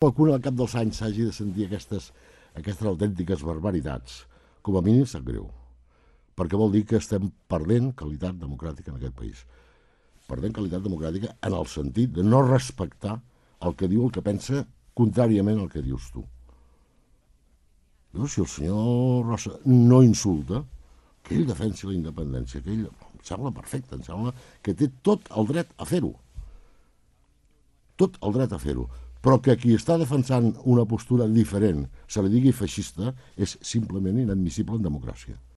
Qualcuna al cap dels anys s'hagi de sentir aquestes autèntiques barbaritats, com a mínim sap greu, perquè vol dir que estem perdent qualitat democràtica en aquest país. Perdent qualitat democràtica en el sentit de no respectar el que diu el que pensa contràriament al que dius tu. Si el senyor Rossa no insulta, que ell defensi la independència, que ell em sembla perfecte, em sembla que té tot el dret a fer-ho. Tot el dret a fer-ho. Però que qui està defensant una postura diferent se li digui feixista és simplement inadmissible en democràcia.